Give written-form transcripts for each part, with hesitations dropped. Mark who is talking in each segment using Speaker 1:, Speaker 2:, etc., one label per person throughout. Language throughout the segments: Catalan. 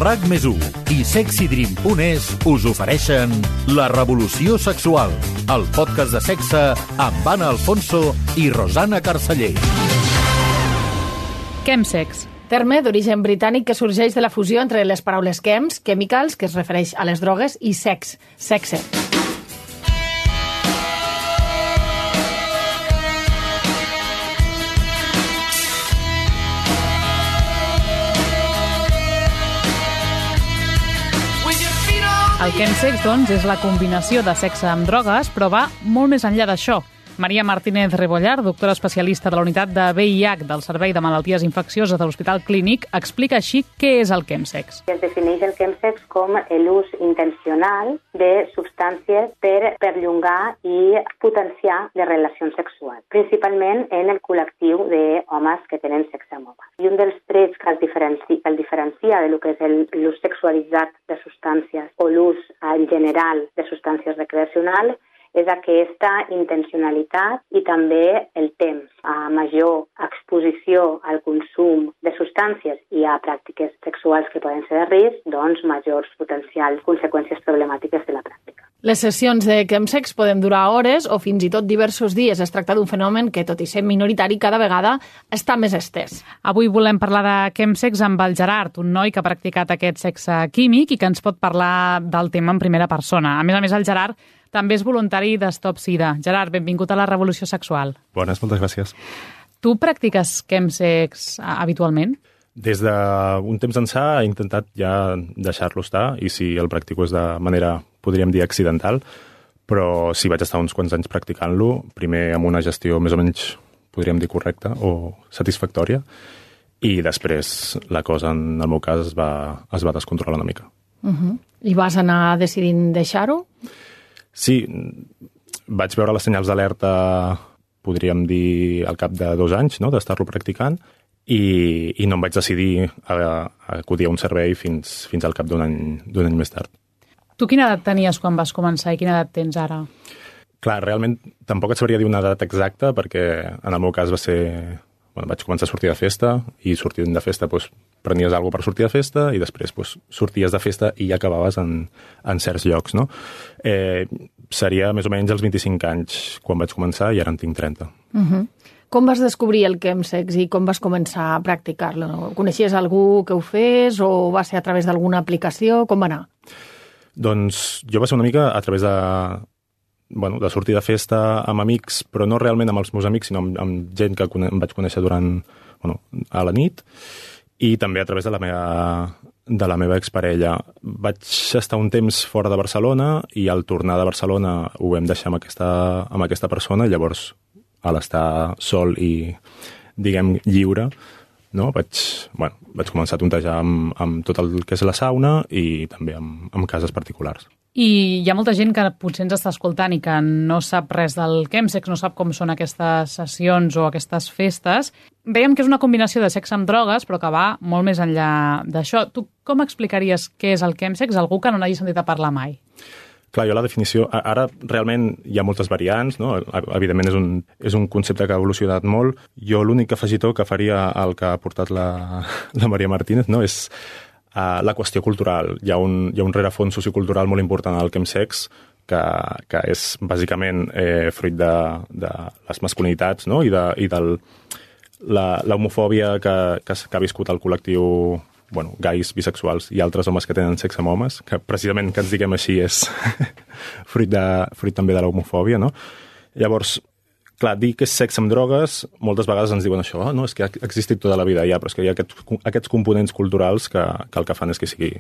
Speaker 1: RAC+1 i SexyDream.es us ofereixen La Revolució Sexual, el podcast de sexe amb Anna Alfonso i Rosana Carceller.
Speaker 2: Chemsex.
Speaker 3: Terme d'origen britànic que sorgeix de la fusió entre les paraules chems, chemicals, que es refereix a les drogues, i sex, sexe.
Speaker 2: El chemsex, doncs, és la combinació de sexe amb drogues, però va molt més enllà d'això. Maria Martínez Rebollar, doctora especialista de la unitat de VIH del Servei de Malalties Infeccioses de l'Hospital Clínic, explica així què és el chemsex.
Speaker 4: Es defineix el chemsex com l'ús intencional de substàncies per perllongar i potenciar les relacions sexuals, principalment en el col·lectiu d'homes que tenen sexe amb homes. I un dels trets que el diferencia de lo que és l'ús sexualitzat de substàncies o l'ús en general de substàncies recreacionals és aquesta intencionalitat i també el temps. A major exposició al consum de substàncies i a pràctiques sexuals que poden ser de risc, doncs majors potencials conseqüències problemàtiques de la pràctica.
Speaker 3: Les sessions de chemsex poden durar hores o fins i tot diversos dies. Es tracta d'un fenomen que, tot i ser minoritari, cada vegada està més estès.
Speaker 2: Avui volem parlar de chemsex amb el Gerard, un noi que ha practicat aquest sexe químic i que ens pot parlar del tema en primera persona. A més, el Gerard també és voluntari d'Stop Sida. Gerard, benvingut a la Revolució Sexual.
Speaker 5: Bones, moltes gràcies.
Speaker 2: Tu practiques chemsex habitualment?
Speaker 5: Des d'un temps ençà he intentat ja deixar-lo estar i si el practico és de manera, podríem dir, accidental, però sí vaig estar uns quants anys practicant-lo, primer amb una gestió més o menys, podríem dir, correcta o satisfactòria, i després la cosa, en el meu cas, es va descontrolar una mica.
Speaker 3: I vas anar decidint deixar-ho?
Speaker 5: Sí, vaig veure les senyals d'alerta, podríem dir, al cap de 2 anys, no?, d'estar-lo practicant, i no em vaig decidir a acudir a un servei fins al cap d'un any més tard.
Speaker 2: Tu quina edat tenies quan vas començar i quina edat tens ara?
Speaker 5: Clar, realment tampoc et sabria dir una edat exacta, perquè en el meu cas va ser... Bueno, vaig començar a sortir de festa i sortint de festa doncs, prenies alguna cosa per sortir de festa i després doncs, sorties de festa i acabaves en certs llocs, no? Seria més o menys als 25 anys quan vaig començar i ara en tinc 30.
Speaker 3: Com vas descobrir el chemsex i com vas començar a practicar-lo? Coneixies algú que ho fes o va ser a través d'alguna aplicació? Com va anar?
Speaker 5: Doncs jo va ser una mica a través de sortir de festa amb amics, però no realment amb els meus amics, sinó amb gent que em vaig conèixer a la nit, i també a través de la meva exparella. Vaig estar un temps fora de Barcelona i al tornar de Barcelona ho vam deixar amb aquesta persona, i llavors, a l'estar sol i, diguem, lliure, no? Vaig començar a tontejar amb tot el que és la sauna i també amb cases particulars.
Speaker 2: I hi ha molta gent que potser ens està escoltant i que no sap res del chemsex, no sap com són aquestes sessions o aquestes festes. Veiem que és una combinació de sexe amb drogues, però que va molt més enllà d'això. Tu com explicaries què és el chemsex a algú que no n'hagi sentit a parlar mai?
Speaker 5: Clar, jo la definició... Ara realment hi ha moltes variants, no? Evidentment és un concepte que ha evolucionat molt. Jo l'únic afegitó que faria al que ha portat la Maria Martínez, no? És la qüestió cultural. Hi ha un rerefons sociocultural molt important al chemsex que és bàsicament fruit de les masculinitats, no? I de l'homofòbia que ha viscut el col·lectiu gais, bisexuals i altres homes que tenen sexe amb homes, que precisament que ens diguem així és fruit també de l'homofòbia, no? Llavors, clar, dir que és sexe amb drogues, moltes vegades ens diuen això, no? És que ha existit tota la vida ja, però és que hi ha aquests components culturals que el que fan és que sigui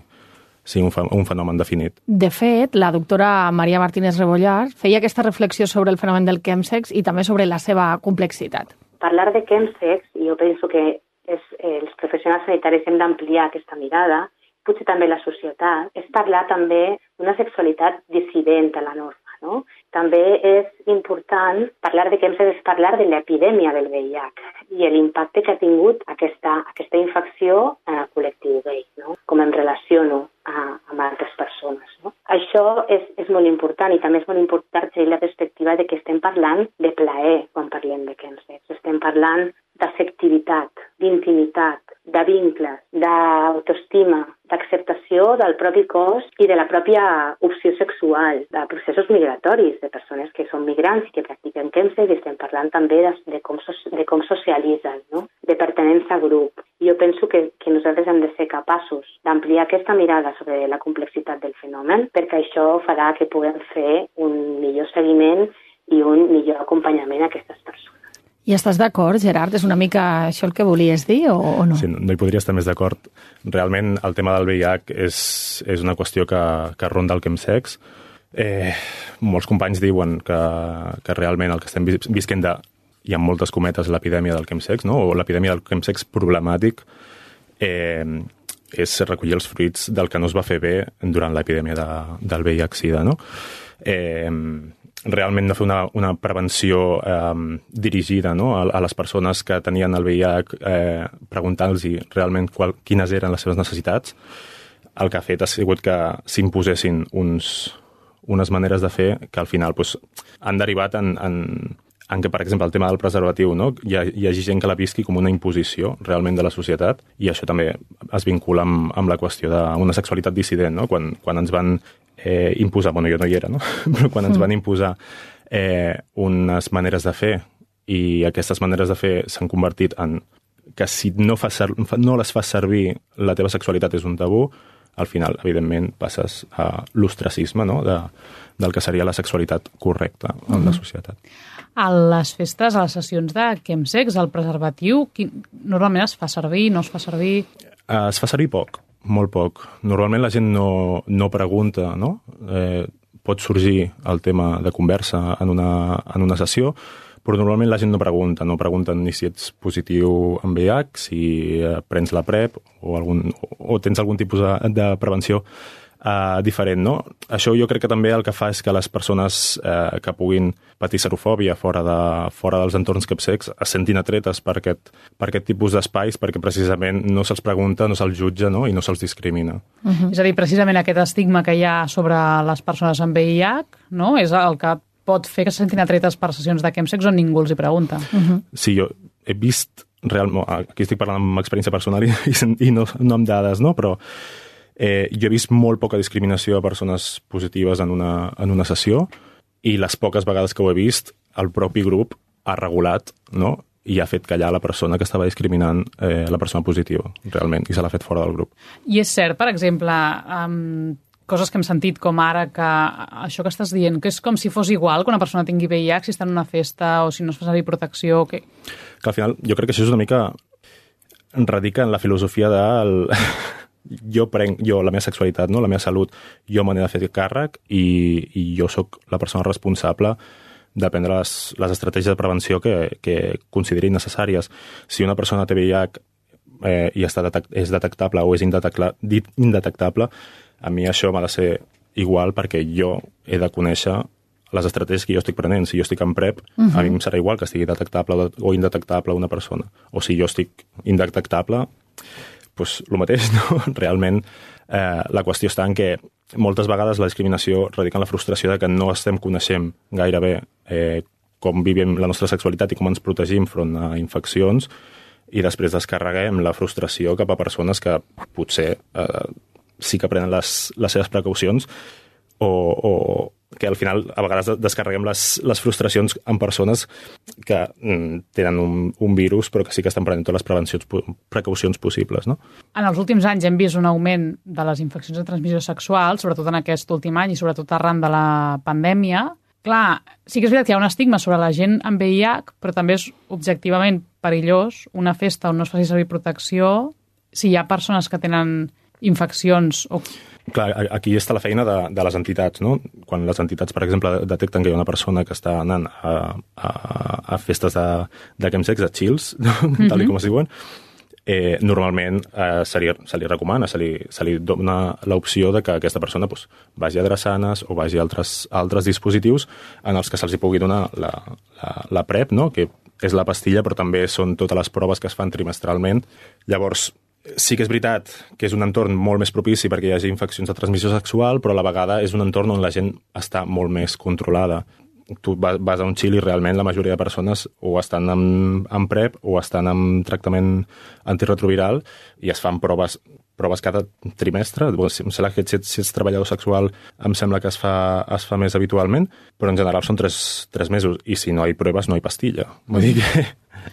Speaker 5: un fenomen definit.
Speaker 3: De fet, la doctora Maria Martínez Rebollar feia aquesta reflexió sobre el fenomen del chemsex i també sobre la seva complexitat.
Speaker 4: Parlar de chemsex, jo penso que els professionals sanitaris hem d'ampliar aquesta mirada, potser també la societat, és parlar també d'una sexualitat dissident a la norma. No? També és important parlar de chemsex, és parlar de l'epidèmia del VIH i l'impacte que ha tingut aquesta infecció en el col·lectiu gay, no? Com em relaciono amb altres persones. No? Això és molt important i també és molt important tenir la perspectiva de que estem parlant de plaer quan parlem de chemsex. Estem parlant d'afectivitat, d'intimitat, de vincles, d'autoestima, d'acceptació del propi cos i de la pròpia opció sexual, de processos migratoris, de persones que són migrants i que practiquen chemsex, i estem parlant també de com socialitzen, no? De pertenença a grup. I jo penso que nosaltres hem de ser capaços d'ampliar aquesta mirada sobre la complexitat del fenomen, perquè això farà que puguem fer un millor seguiment i un millor acompanyament a aquestes persones.
Speaker 3: I estàs d'acord, Gerard? És una mica això el que volies dir o no?
Speaker 5: Sí, no hi podria estar més d'acord. Realment el tema del VIH és una qüestió que ronda el chemsex. Molts companys diuen que realment el que estem visquent hi ha moltes cometes l'epidèmia del chemsex, no? O l'epidèmia del chemsex problemàtic és recollir els fruits del que no es va fer bé durant l'epidèmia del VIH-Sida, no? Realment no fer una prevenció dirigida, no? a les persones que tenien el VIH, preguntant-los realment quines eren les seves necessitats. El que ha fet ha sigut que s'imposessin unes maneres de fer que al final han derivat en que, per exemple, el tema del preservatiu, no? Hi hagi gent que la visqui com una imposició realment de la societat, i això també es vincula amb la qüestió d'una sexualitat dissident, no? Quan ens van imposar, bueno, jo no hi era, no? Però quan ens van imposar unes maneres de fer, i aquestes maneres de fer s'han convertit en que si no les fas servir, la teva sexualitat és un tabú, al final, evidentment, passes a l'ostracisme, no? del que seria la sexualitat correcta en la societat.
Speaker 2: A les festes, a les sessions de chemsex, el preservatiu, normalment es fa servir, no es fa servir?
Speaker 5: Es fa servir poc, molt poc. Normalment la gent no pregunta, no? Pot sorgir el tema de conversa en una sessió, però normalment la gent no pregunten ni si ets positiu en VIH, si prens la PrEP o tens algun tipus de prevenció diferent, no? Això jo crec que també el que fa és que les persones que puguin patir serofòbia fora dels entorns chemsex es sentin atretes per aquest tipus d'espais, perquè precisament no se'ls pregunta, no se'ls jutja, no? I no se'ls discrimina.
Speaker 2: És a dir, precisament aquest estigma que hi ha sobre les persones amb VIH, no? És el que pot fer que se sentin atretes per sessions de chemsex on ningú els hi pregunta.
Speaker 5: Sí, jo he vist realment, aquí estic parlant amb experiència personal i no amb dades, no? Però jo he vist molt poca discriminació a persones positives en una sessió, i les poques vegades que ho he vist, el propi grup ha regulat, no? I ha fet callar la persona que estava discriminant la persona positiva, realment, i se l'ha fet fora del grup.
Speaker 2: I és cert, per exemple, coses que hem sentit com ara, que això que estàs dient, que és com si fos igual que una persona tingui VIH si està en una festa o si no es fa servir protecció. Que
Speaker 5: al final, jo crec que això és una mica radica en la filosofia del jo la meva sexualitat, no? La meva salut, jo me n'he de fer càrrec, i jo sóc la persona responsable de prendre les estratègies de prevenció que consideri necessàries. Si una persona té VIH i és detectable o és indetectable, a mi això m'ha de ser igual, perquè jo he de conèixer les estratègies que jo estic prenent. Si jo estic en PrEP, a mi em serà igual que estigui detectable o indetectable una persona. O si jo estic indetectable, doncs el mateix, no? Realment, la qüestió està en que moltes vegades la discriminació radica en la frustració de que no estem coneixent gaire bé com vivim la nostra sexualitat i com ens protegim front a infeccions, i després descarreguem la frustració cap a persones que potser sí que prenen les seves precaucions, o que al final a vegades descarreguem les frustracions en persones que tenen un virus però que sí que estan prenent totes les precaucions possibles, no?
Speaker 2: En els últims anys hem vist un augment de les infeccions de transmissió sexual, sobretot en aquest últim any i sobretot arran de la pandèmia. Clar, sí que és veritat que hi ha un estigma sobre la gent amb VIH, però també és objectivament perillós una festa on no es faci servir protecció si hi ha persones que tenen infeccions o...
Speaker 5: Clar, aquí està la feina de les entitats, no? Quan les entitats, per exemple, detecten que hi ha una persona que està anant a festes de chemsex, de chills, tal com es diuen, normalment se li recomana, se li dona l'opció de que aquesta persona vagi a drassanes o vagi a altres dispositius en els que se'ls pugui donar la PrEP, no? Que és la pastilla, però també són totes les proves que es fan trimestralment. Llavors, sí que és veritat que és un entorn molt més propici perquè hi hagi infeccions de transmissió sexual, però a la vegada és un entorn on la gent està molt més controlada. Tu vas a un chill i realment la majoria de persones o estan amb PrEP o estan amb tractament antirretroviral i es fan proves proves cada trimestre. Em sembla que si ets treballador sexual em sembla que es fa més habitualment, però en general són 3 mesos, i si no hi proves no hi pastilla. Vull dir que,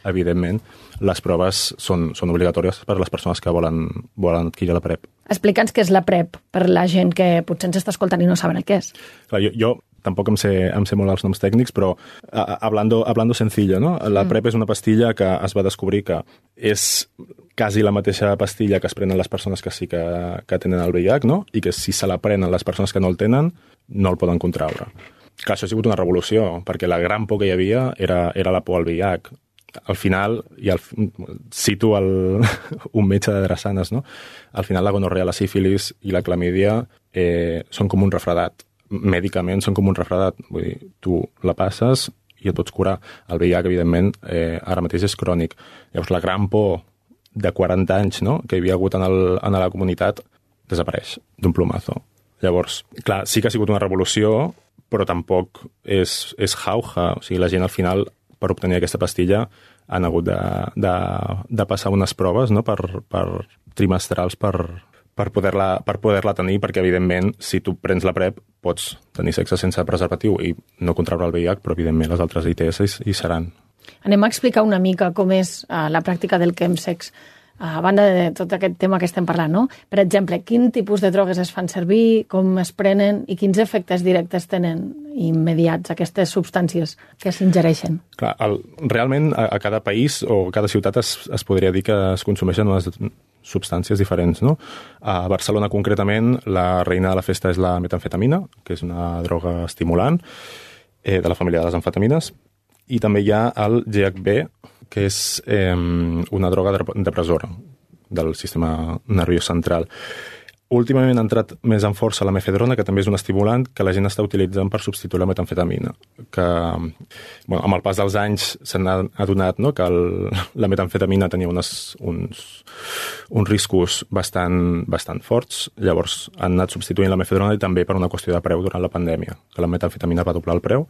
Speaker 5: evidentment, les proves són obligatòries per a les persones que volen adquirir la PrEP.
Speaker 3: Explica'ns què és la PrEP per la gent que potser ens està escoltant i no saben el què és.
Speaker 5: Clar, jo tampoc em sé molt els noms tècnics, però hablando sencillo, no? La PrEP és una pastilla que es va descobrir que és quasi la mateixa pastilla que es prenen les persones que sí que tenen el VIH, no? I que si se la prenen les persones que no el tenen, no el poden contraure. Clar, això ha sigut una revolució, perquè la gran por que hi havia era la por al VIH. Al final, cito un metge de drassanes, no? Al final la gonorrea, la sífilis i la clamídia són com un refredat. Mèdicament són com un refredat. Vull dir, tu la passes i et pots curar. El VIH, evidentment, ara mateix és crònic. Llavors, la gran por de 40 anys, no?, que hi havia hagut en la comunitat desapareix d'un plomazo. Llavors, clar, sí que ha sigut una revolució, però tampoc és jauja. O sigui, la gent al final, per obtenir aquesta pastilla, han hagut de passar unes proves, no?, per trimestrals per poder-la tenir, perquè, evidentment, si tu prens la PrEP, pots tenir sexe sense preservatiu i no contraure el VIH, però, evidentment, les altres ITS hi seran.
Speaker 3: Anem a explicar una mica com és la pràctica del chemsex, a banda de tot aquest tema que estem parlant, no? Per exemple, quin tipus de drogues es fan servir, com es prenen i quins efectes directes tenen immediats aquestes substàncies que s'ingereixen?
Speaker 5: Clar, realment a cada país o a cada ciutat es podria dir que es consumeixen unes substàncies diferents, no? A Barcelona, concretament, la reina de la festa és la metamfetamina, que és una droga estimulant de la família de les amfetamines, i també hi ha el GHB, que és una droga depressora del sistema nerviós central. Últimament ha entrat més en força la mefedrona, que també és un estimulant que la gent està utilitzant per substituir la metamfetamina, que amb el pas dels anys s'han adonat, no?, que la metamfetamina tenia uns riscos bastant forts. Llavors han anat substituint la mefedrona, i també per una qüestió de preu durant la pandèmia, que la metamfetamina va doblar el preu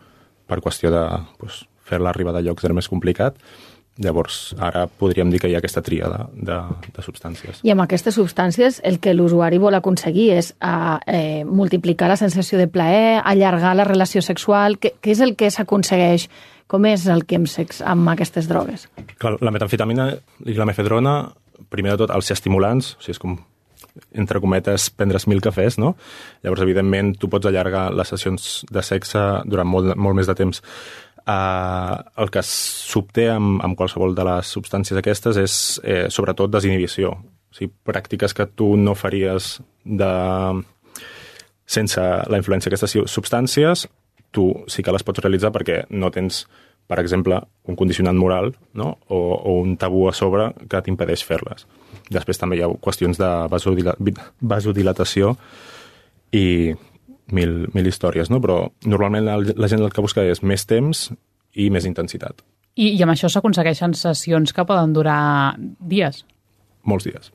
Speaker 5: per qüestió de fer-la arribar de llocs era més complicat. Llavors, ara podríem dir que hi ha aquesta tríada de substàncies.
Speaker 3: I amb aquestes substàncies el que l'usuari vol aconseguir és multiplicar la sensació de plaer, allargar la relació sexual. Què és el que s'aconsegueix? Com és el chemsex amb aquestes drogues?
Speaker 5: Clar, la metamfetamina i la mefedrona, primer de tot, els estimulants, o sigui, és com, entre cometes, prendre's 1000 cafès, no? Llavors, evidentment, tu pots allargar les sessions de sexe durant molt més de temps. El que s'obté amb qualsevol de les substàncies aquestes és sobretot desinhibició. O sigui, pràctiques que tu no faries sense la influència d'aquestes substàncies, tu sí que les pots realitzar perquè no tens, per exemple, un condicionant moral, no?, o un tabú a sobre que t'impedeix fer-les. Després també hi ha qüestions de vasodilatació i mil històries, no? Però normalment la gent el que busca és més temps i més intensitat.
Speaker 2: I amb això s'aconsegueixen sessions que poden durar dies?
Speaker 5: Molts dies.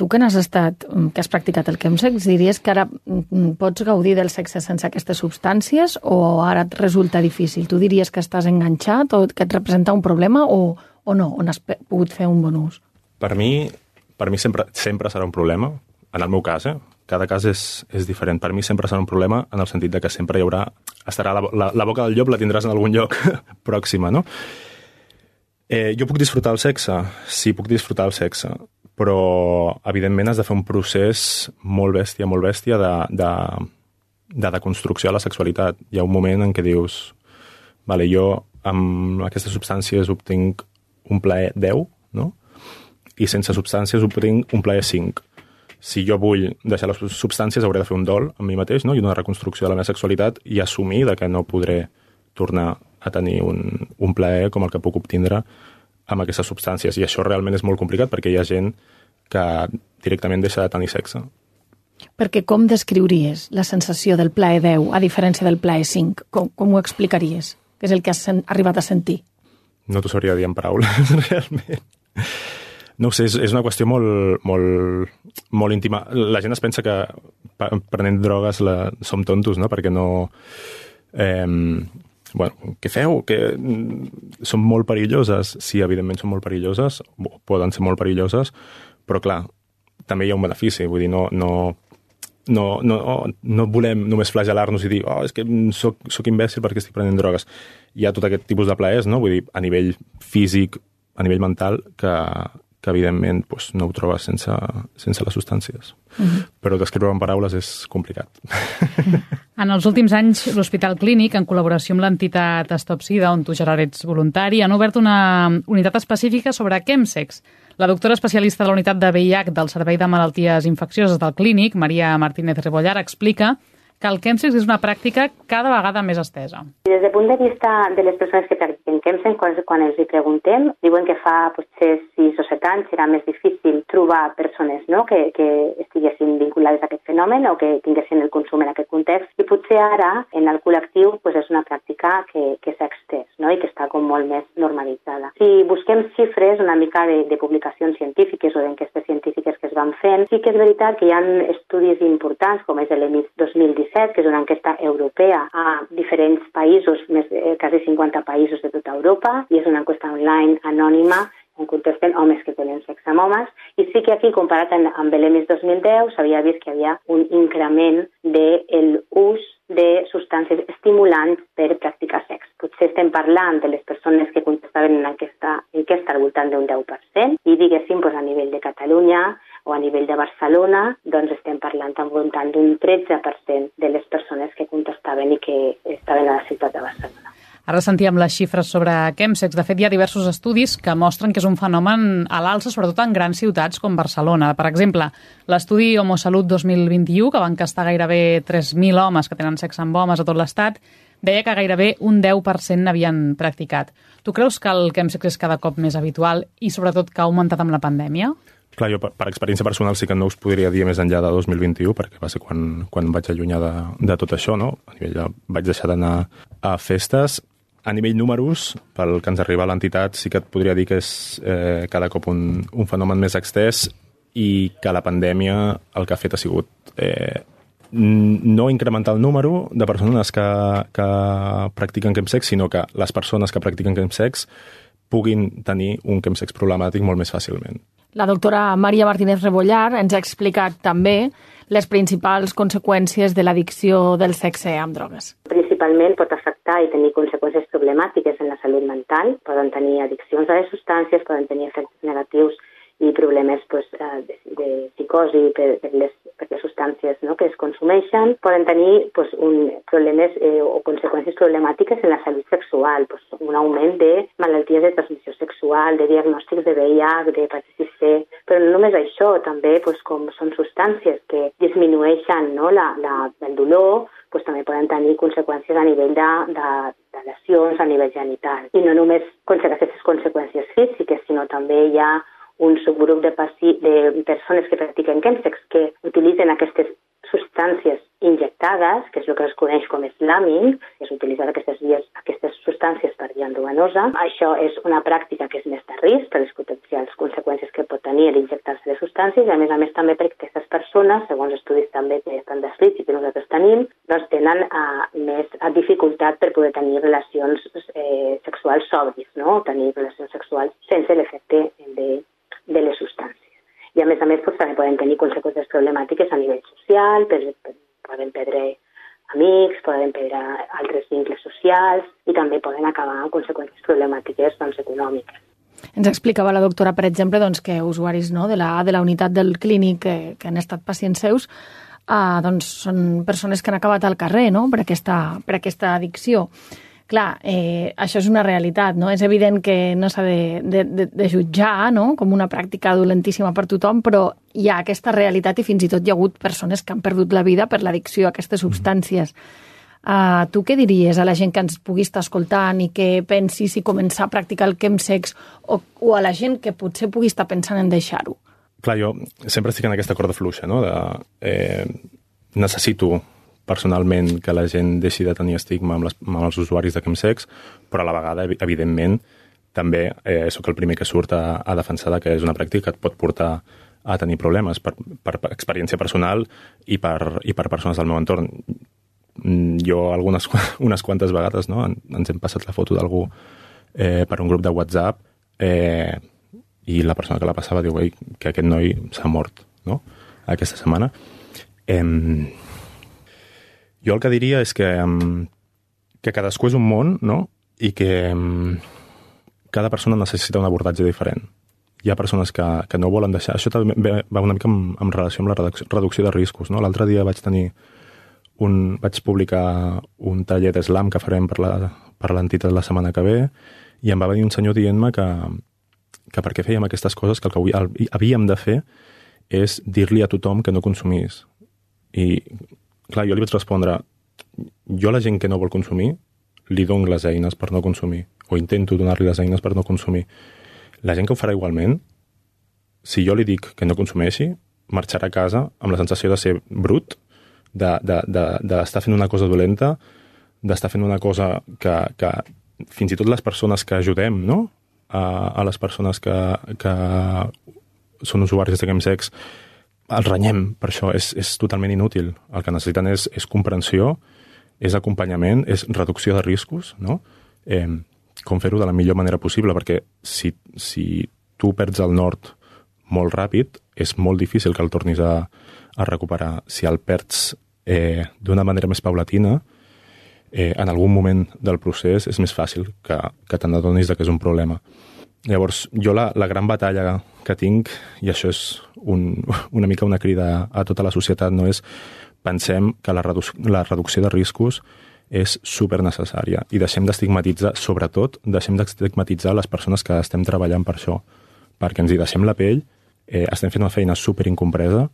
Speaker 3: Tu que n'has estat, que has practicat el chemsex, diries que ara pots gaudir del sexe sense aquestes substàncies o ara et resulta difícil? Tu diries que estàs enganxat o que et representa un problema o no? On has pogut fer un bon ús? Per
Speaker 5: mi sempre serà un problema, en el meu cas, Cada cas és diferent. Per mi sempre serà un problema en el sentit de que sempre hi haurà... Estarà la boca del llop la tindràs en algun lloc pròxima, no? Jo puc disfrutar el sexe? Sí, puc disfrutar el sexe. Però, evidentment, has de fer un procés molt bèstia de deconstrucció de la sexualitat. Hi ha un moment en què dius vale, jo amb aquestes substàncies obtinc un plaer 10, no? I sense substàncies obtinc un plaer 5. Si jo vull deixar les substàncies, hauré de fer un dol amb mi mateix, no? I una reconstrucció de la meva sexualitat i assumir que no podré tornar a tenir un plaer com el que puc obtindre amb aquestes substàncies. I això realment és molt complicat perquè hi ha gent que directament deixa de tenir sexe.
Speaker 3: Perquè com descriuries la sensació del plaer 10 a diferència del plaer 5? Com ho explicaries? Què és el que has arribat a sentir?
Speaker 5: No t'ho sabria dir en paraules, realment. No ho sé, és una qüestió molt íntima. La gent es pensa que prenent drogues som tontos, no? Perquè no... què feu? Que són molt perilloses. Sí, evidentment són molt perilloses, poden ser molt perilloses, però clar, també hi ha un benefici, vull dir, no volem només flagelar-nos i dir és que soc imbècil perquè estic prenent drogues. Hi ha tot aquest tipus de plaers, no? Vull dir, a nivell físic, a nivell mental, que evidentment no ho trobes sense les substàncies. Però descriure en paraules és complicat.
Speaker 2: En els últims anys, l'Hospital Clínic, en col·laboració amb l'entitat Stop Sida, on tu, Gerard, ets voluntari, han obert una unitat específica sobre chemsex. La doctora especialista de la unitat de VIH del Servei de Malalties Infeccioses del Clínic, Maria Martínez Rebollar, explica que el chemsex és una pràctica cada vegada més estesa.
Speaker 4: Des del punt de vista de les persones que practiquen chemsex, quan els hi preguntem, diuen que fa potser 6 o 7 anys era més difícil trobar persones que estiguessin vinculades a aquest fenomen o que tinguessin el consum en aquest context, i potser ara en el col·lectiu és una pràctica que s'ha extès i que està com molt més normalitzada. Si busquem xifres una mica de publicacions científiques o d'enquestes científiques que es van fent, sí que és veritat que hi ha estudis importants, com és l'EMIS 2017, que és una enquesta europea a diferents països, quasi 50 països de tota Europa, i és una enquesta online anònima on contesten homes que tenen sexe amb homes, i sí que aquí, comparat amb l'EMIS 2010, s'havia vist que hi havia un increment del ús de substàncies estimulants per practicar sexe. Potser estem parlant de les persones que contestaven en aquesta enquesta al voltant d'un 10%, i diguéssim, a nivell de Catalunya o a nivell de Barcelona, doncs estem parlant al voltant d'un 13% de les persones que contestaven i que estaven a la ciutat de Barcelona.
Speaker 2: Ara sentíem les xifres sobre chemsex. De fet, hi ha diversos estudis que mostren que és un fenomen a l'alça, sobretot en grans ciutats com Barcelona. Per exemple, l'estudi Homosalut 2021, que va encastar gairebé 3.000 homes que tenen sexe amb homes a tot l'Estat, deia que gairebé un 10% n'havien practicat. Tu creus que el chemsex és cada cop més habitual i, sobretot, que ha augmentat amb la pandèmia?
Speaker 5: Clar, jo per experiència personal sí que no us podria dir més enllà de 2021, perquè va ser quan vaig allunyar de tot això, no? A nivell vaig deixar d'anar a festes. A nivell números, pel que ens arriba a l'entitat, sí que et podria dir que és cada cop un fenomen més extès, i que la pandèmia el que ha fet ha sigut no incrementar el número de persones que practiquen chemsex, sinó que les persones que practiquen chemsex puguin tenir un chemsex problemàtic molt més fàcilment.
Speaker 3: La doctora Maria Martínez Rebollar ens ha explicat també les principals conseqüències de l'addicció del sexe amb drogues.
Speaker 4: Principalment pot afectar i tenir conseqüències problemàtiques en la salut mental. Poden tenir addiccions a les substàncies, poden tenir efectes negatius i problemes de psicosi per les substàncies que es consumeixen. Poden tenir problemes o conseqüències problemàtiques en la salut sexual, un augment de malalties de transmissió sexual, de diagnòstics de VIH, d'hepatitis C, però no només això, també com són substàncies que disminueixen el dolor, també poden tenir conseqüències a nivell de lesions a nivell genital. I no només aquestes conseqüències físiques, sinó també hi ha un subgrup de persones que practiquen chemsex que utilitzen aquestes substàncies injectades, que és el que es coneix com slamming, que és utilitzar aquestes substàncies per via endovenosa. Això és una pràctica que és més de risc per les potencials conseqüències que pot tenir l'injectar-se les substàncies, i a més també perquè aquestes persones, segons estudis també que estan descrits i que nosaltres tenim, doncs tenen més dificultat per poder tenir relacions sexuals sobris, tenir relacions sexuals sense l'efecte de les substàncies. I a més també poden tenir conseqüències problemàtiques a nivell social, poden perdre amics, poden perdre altres vincles socials, i també poden acabar amb conseqüències problemàtiques econòmiques.
Speaker 3: Ens explicava la doctora, per exemple, que usuaris de la unitat del clínic que han estat pacients seus són persones que han acabat al carrer per aquesta addicció. Clar, això és una realitat, no? És evident que no s'ha de jutjar com una pràctica dolentíssima per tothom, però hi ha aquesta realitat i fins i tot hi ha hagut persones que han perdut la vida per l'addicció a aquestes substàncies. Tu què diries a la gent que ens pugui estar escoltant i que pensi si començar a practicar el chemsex o a la gent que potser pugui estar pensant en deixar-ho?
Speaker 5: Clar, jo sempre estic en aquesta corda fluixa, necessito personalment que la gent deixi de tenir estigma amb els usuaris de chemsex, però a la vegada, evidentment, també sóc el primer que surt a defensar que és una pràctica que et pot portar a tenir problemes per experiència personal i per persones del meu entorn. Jo unes quantes vegades ens hem passat la foto d'algú per un grup de WhatsApp i la persona que la passava diu que aquest noi s'ha mort no? Aquesta setmana. Jo el que diria és que cadascú és un món, no? I que cada persona necessita un abordatge diferent. Hi ha persones que no volen deixar... Això també va una mica en relació amb la reducció de riscos, no? L'altre dia vaig publicar un taller d'eslam que farem per l'entitat la setmana que ve i em va venir un senyor dient-me que per què fèiem aquestes coses, que el que havíem de fer és dir-li a tothom que no consumís. I, clar, jo li vaig respondre, jo a la gent que no vol consumir li dono les eines per no consumir, o intento donar-li les eines per no consumir. La gent que ho farà igualment, si jo li dic que no consumeixi, marxarà a casa amb la sensació de ser brut, d'estar fent una cosa dolenta, d'estar fent una cosa que fins i tot les persones que ajudem, no? A les persones que són usuaris de chemsex, els renyem per això, és totalment inútil. El que necessiten és comprensió, és acompanyament, és reducció de riscos, no? Com fer-ho de la millor manera possible, perquè si tu perds el nord molt ràpid, és molt difícil que el tornis a recuperar. Si el perds d'una manera més paulatina, en algun moment del procés és més fàcil que te n'adonis que és un problema. Llavors, jo la gran batalla que tinc, i això és una mica una crida a tota la societat, no és pensem que la reducció de riscos és supernecessària i deixem d'estigmatitzar, sobretot, deixem d'estigmatitzar les persones que estem treballant per això, perquè ens hi deixem la pell, estem fent una feina superincompresa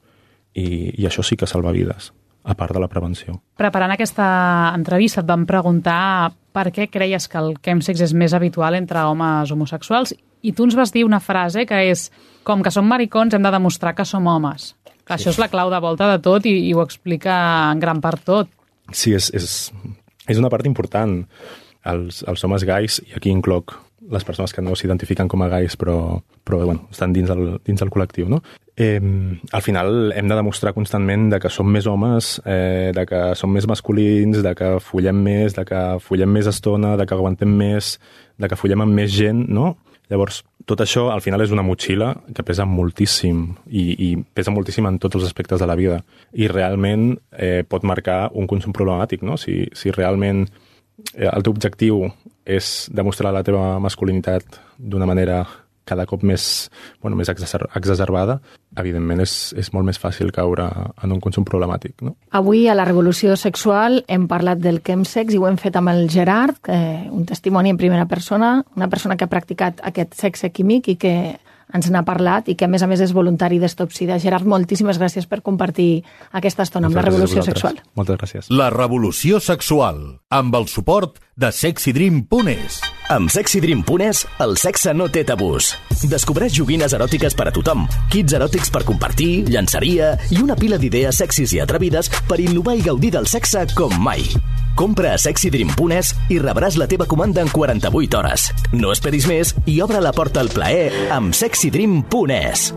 Speaker 5: i això sí que salva vides, a part de la prevenció.
Speaker 2: Preparant aquesta entrevista et vam preguntar per què creies que el chemsex és més habitual entre homes homosexuals i tu ens vas dir una frase que és com que som maricons hem de demostrar que som homes. Que això és la clau de volta de tot i ho explica en gran part tot.
Speaker 5: Sí, és una part important. Els homes gais, i aquí incloc les persones que no s'identifiquen com a gais però bueno, estan dins del col·lectiu, no? Al final hem de demostrar constantment de que som més homes, de que som més masculins, de que follem més, de que follem més estona, de que aguantem més, de que follem amb més gent, no? Llavors, tot això al final és una motxilla que pesa moltíssim i pesa moltíssim en tots els aspectes de la vida i realment pot marcar un consum problemàtic, no? Si realment el teu objectiu és demostrar la teva masculinitat d'una manera cada cop més exacerbada, evidentment és molt més fàcil caure en un consum problemàtic, no?
Speaker 3: Avui a la Revolució Sexual hem parlat del chemsex i ho hem fet amb el Gerard, un testimoni en primera persona, una persona que ha practicat aquest sexe químic i que ens n'ha parlat i que a més és voluntari d'Stop Sida. Gerard, moltíssimes gràcies per compartir aquesta estona amb la Revolució Sexual.
Speaker 5: Moltes gràcies.
Speaker 1: La Revolució Sexual, amb el suport de SexyDream.es.
Speaker 6: Amb SexyDream.es, el sexe no té tabús. Descobreix joguines eròtiques per a tothom, kits eròtics per compartir, llançaria i una pila d'idees sexis i atrevides per innovar i gaudir del sexe com mai. Compra a SexyDream.es i rebràs la teva comanda en 48 hores. No esperis més i obre la porta al plaer amb SexyDream.es.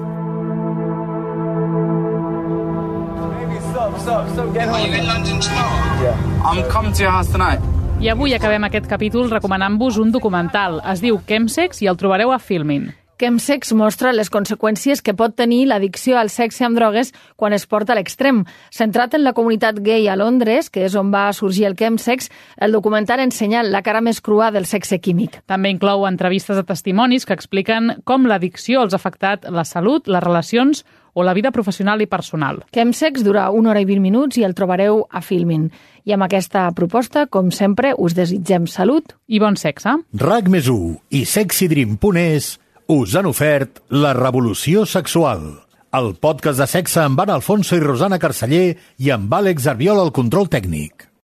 Speaker 7: Are you in London tomorrow? Yeah. I'm coming to your house tonight.
Speaker 2: I avui acabem aquest capítol recomanant-vos un documental. Es diu Chemsex i el trobareu a Filmin.
Speaker 3: Chemsex mostra les conseqüències que pot tenir l'addicció al sexe amb drogues quan es porta a l'extrem. Centrat en la comunitat gay a Londres, que és on va sorgir el chemsex, el documental ensenya la cara més crua del sexe químic.
Speaker 2: També inclou entrevistes de testimonis que expliquen com l'addicció els ha afectat la salut, les relacions o la vida professional i personal.
Speaker 3: Chemsex dura 1 hora i 20 minuts i el trobareu a Filmin. I amb aquesta proposta, com sempre, us desitgem salut
Speaker 2: i bon sexe.
Speaker 1: RAC+1 i SexyDream.es us han ofert La Revolució Sexual, el podcast de sexe amb Anna Alfonso i Rosana Carceller i amb Àlex Arbiol al control tècnic.